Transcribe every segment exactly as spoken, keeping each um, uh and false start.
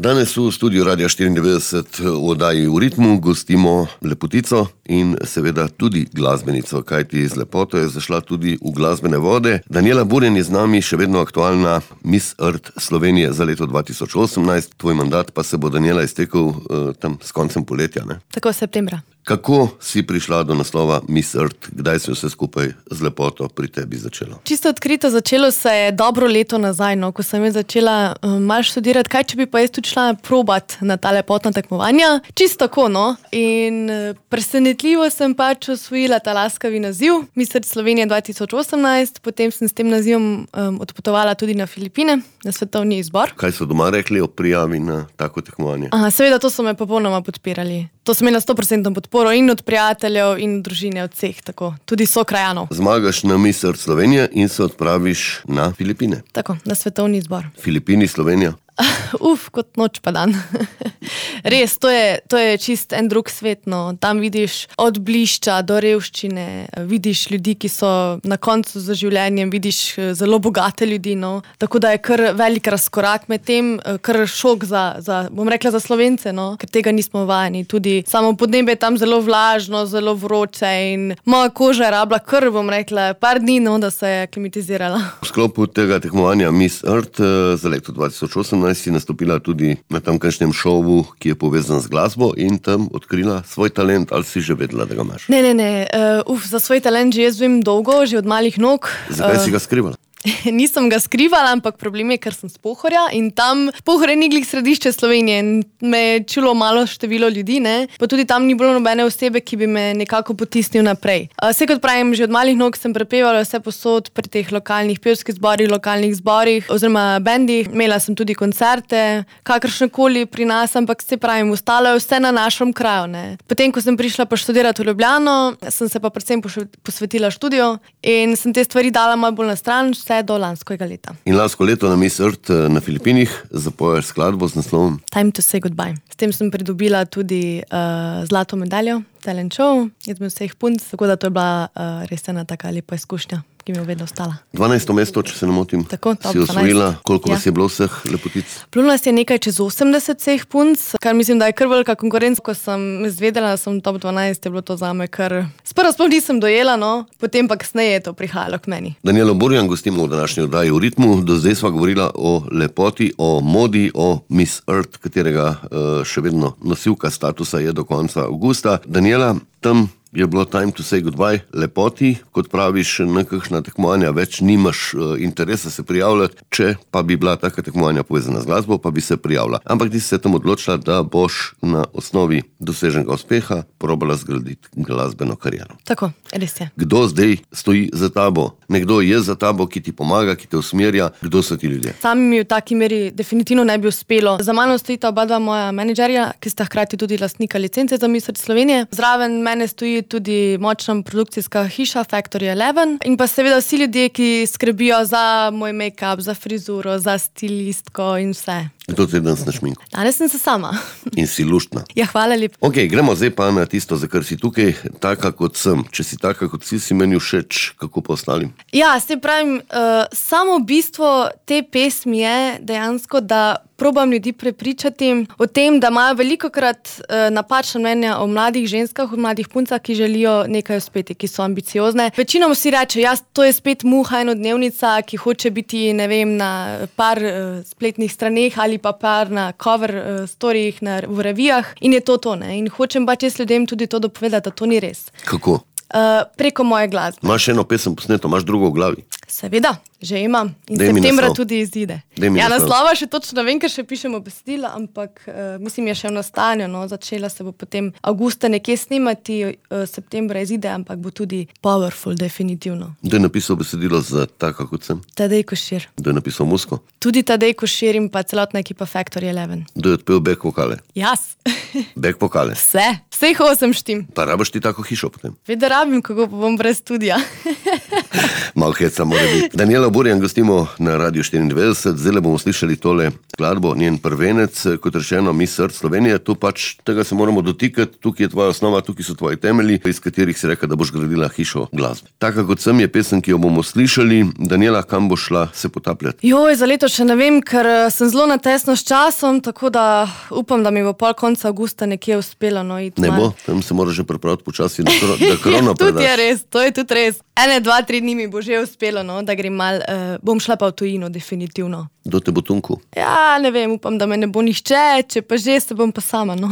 Danes v studiu Radia štiriindevetdeset v oddaji V ritmu gostimo lepotico in seveda tudi glasbenico, kajti z lepoto je zašla tudi v glasbene vode. Daniela Burjan je z nami, še vedno aktualna Miss Earth Slovenije za leto dva tisoč osemnajst. Tvoj mandat pa se bo, Daniela, iztekel uh, tam s koncem poletja, ne? Tako, septembra. Kako si prišla do naslova Miss Earth? Kdaj se vse skupaj z lepoto pri tebi začelo? Čisto odkrito začelo se je dobro leto nazaj, no, ko sem jaz začela um, malo študirati, kaj če bi pa jaz tudi šla probat na ta lepotna tekmovanja. Čisto tako, no. In uh, presenetljivo sem pač osvojila ta laskavi naziv Miss Earth Slovenije dva tisoč osemnajst, potem sem s tem nazivom um, odpotovala tudi na Filipine, na svetovni izbor. Kaj so doma rekli o prijavi na tako tekmovanje? Aha, seveda, to so me popolnoma podpirali. To sem imela sto procentov podporo in od prijateljev in družine, od vseh, tako, tudi sokrajanov. Zmagaš na Miss Earth Slovenije in se odpraviš na Filipine. Tako, na svetovni izbor. Filipini, Slovenija? Uf, kot noč pa dan. Res, to je, to je čist en drug svet, no. Tam vidiš od blišča do revščine, vidiš ljudi, ki so na koncu za življenjem, vidiš zelo bogate ljudi, no. Tako da je kar velik razkorak med tem, kar šok za, za, bom rekla, za Slovence, no, ker tega nismo vajeni. Tudi samo podnebje je tam zelo vlažno, zelo vroče in moja koža je rabila kar, bom rekla, par dni, no, da se je klimatizirala. V sklopu tega tekmovanja Miss Earth za leto dva tisoč osemnajst si nastopila tudi na tamkajšnjem šovu, ki je povezan z glasbo, in tam odkrila svoj talent. Ali si že vedela, da ga imaš? Ne, ne, ne. Uh, uf, za svoj talent že jaz vem dolgo, že od malih nog. Zakaj uh, si ga skrivala? Nisem ga skrivala, ampak problem je, ker sem s Pohorja in tam Pohorje ni glih središče Slovenije in me je čulo malo število ljudi, ne. Pa tudi tam ni bilo nobene osebe, ki bi me nekako potisnil naprej. Vse kot pravim, že od malih nog sem prepevala vse posod pri teh lokalnih pevskih zborih, lokalnih zborih oziroma bendih. Imela sem tudi koncerte, kakršnekoli pri nas, ampak se pravim, ostalo je vse na našem kraju, ne. Potem, ko sem prišla pa študirati v Ljubljano, sem se pa predvsem posvetila študiju in sem te stvari dala malo bolj na stran, vse do lanskega leta. In lansko leto na Miss Earth na Filipinih zapoješ skladbo z naslovom Time to say goodbye. S tem sem pridobila tudi uh, zlato medaljo, talent show, izmed vseh punc, tako da to je bila uh, res ena taka lepa izkušnja, ki mi je vedno ostala. dvanajsto mesto, če se ne motim. Tako, si osvojila. Koliko ja. vas je bilo vseh lepotic? Bilo nas je nekaj čez osemdeset vseh punc, kar mislim, da je kar velika konkurenca. Ko sem izvedela, da sem top dvanajst, je bilo to zame kar... Sprva sploh nisem dojela, no, potem pa kasneje je to prihajalo k meni. Danielo Burjan gostimo v današnji oddaji V ritmu. Do zdaj sva govorila o lepoti, o modi, o Miss Earth, katerega uh, še vedno nosilka statusa je do konca avgusta. Daniela, tam je bilo time to say goodbye lepoti, kot praviš, nekakšna tekmovanja več nimaš uh, interesa se prijavljati, če pa bi bila taka tekmovanja povezana z glasbo, pa bi se prijavila. Ampak ti si se tam odločila, da boš na osnovi doseženega uspeha probala zgraditi glasbeno kariero. Tako, res je. Kdo zdaj stoji za tabo? Nekdo je za tabo, ki ti pomaga, ki te usmerja? Kdo so ti ljudje? Sami mi v taki meri definitivno ne bi uspelo. Za mano stojita oba dva moja menedžerja, ki sta hkrati tudi lastnika licence za Miss Earth Slovenije. Zraven mene stoji tudi močna produkcijska hiša Factory Eleven in pa seveda vsi ljudje, ki skrbijo za moj make-up, za frizuro, za stilistko in vse. Kdo te danes na šminku? Danes sem se sama. In si luštna. Ja, hvala lepo. Ok, gremo zdaj pa na tisto, za kar si tukaj, taka kot sem. Če si taka kot si, si meni všeč, kako pa ostalim? Ja, se pravim, uh, samo bistvo te pesmi je dejansko, da probam ljudi prepričati o tem, da imajo velikokrat uh, napačna mnenja o mladih ženskah, o mladih puncah, ki želijo nekaj uspeti, ki so ambiciozne. Večinoma vsi reče, ja, to je spet muha enodnevnica, ki hoče biti, ne vem, na par uh, spletnih straneh ali pa par na cover uh, storijih na, v revijah in je to to, ne. In hočem pa čez ljudem tudi to dopovedati, da to ni res. Kako? Uh, preko moje glasbe. Imaš eno pesem posneto, imaš drugo v glavi? Seveda, že imam. In Dej septembra tudi izide. Ja, naslov. naslova še točno vem, ker še pišemo besedila, ampak uh, mislim, je še v nastanju, no. Začela se bo potem avgusta nekje snimati, uh, septembra izide, ampak bo tudi powerful, definitivno. Kdo je napisal besedilo za taka kot sem? Tadej Košir. Kdo je napisal muziko? Tudi Tadej Košir in pa celotna ekipa Factory Eleven. Kdo je odpel back vokale? Jaz. Back vokale? Vse. Vseh osem štim. Pa rabaš ti tako hišo potem? Vedno rabim, kako pa bom brez studija. Malo hecamo, mora biti. Daniela Burjan gostimo na Radiu štiriindevetdeset, zdaj bomo slišali tole skladbo, njen prvenec, kot rečeno, Miss Earth Slovenije. Tu pač tega se moramo dotikati, tukaj je tvoja osnova, tukaj so tvoji temelji, iz katerih si rekla, da boš gradila hišo glasbe. Taka kot sem je pesem, ki jo bomo slišali. Daniela, kam boš šla se potapljati? Joj, za leto še ne vem, ker sem zelo na tesno s časom, tako da upam, da mi bo pol konca avgusta nekje uspelo. No, ne bo, tam se moraš že pripraviti počasi, da, kro, da krono predaš. Tudi je res, to je tudi res. Ene, dva, tri dni mi bo že uspelo, no, da grem mal, uh, bom šla pa v tujino, definitivno. Do te bo tunku? Ja, ne vem, upam, da me ne bo nihče, če pa že se bom pa sama, no.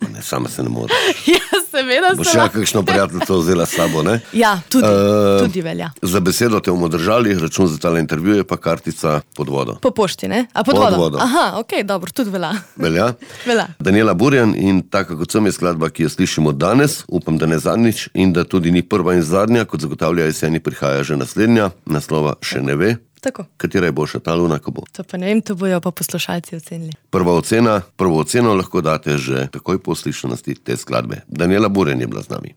Ne, sama se ne more. Ja, seveda se. Boš še kakšno prijateljstvo vzela s sabo, ne? Ja, tudi, uh, tudi velja. Za besedo te bomo držali, račun za tale intervju je pa kartica pod vodo. Po pošti, ne? A pod, pod vodo? vodo. Aha, okej, okay, dobro, tudi velja. Velja? Velja. Daniela Burjan in taka kot sem je skladba, ki jo slišimo danes, upam, da ne zadnjič in da tudi ni prva in zadnja, kot zagotavlja jeseni, prihaja že naslednja, naslova še ne ve. Tako. Katera je boljša, ta luna, ko bo? To pa ne vem, to bojo pa poslušalci ocenili. Prva ocena, prvo oceno lahko date že takoj po slišanosti te skladbe. Daniela Burjan je bila z nami.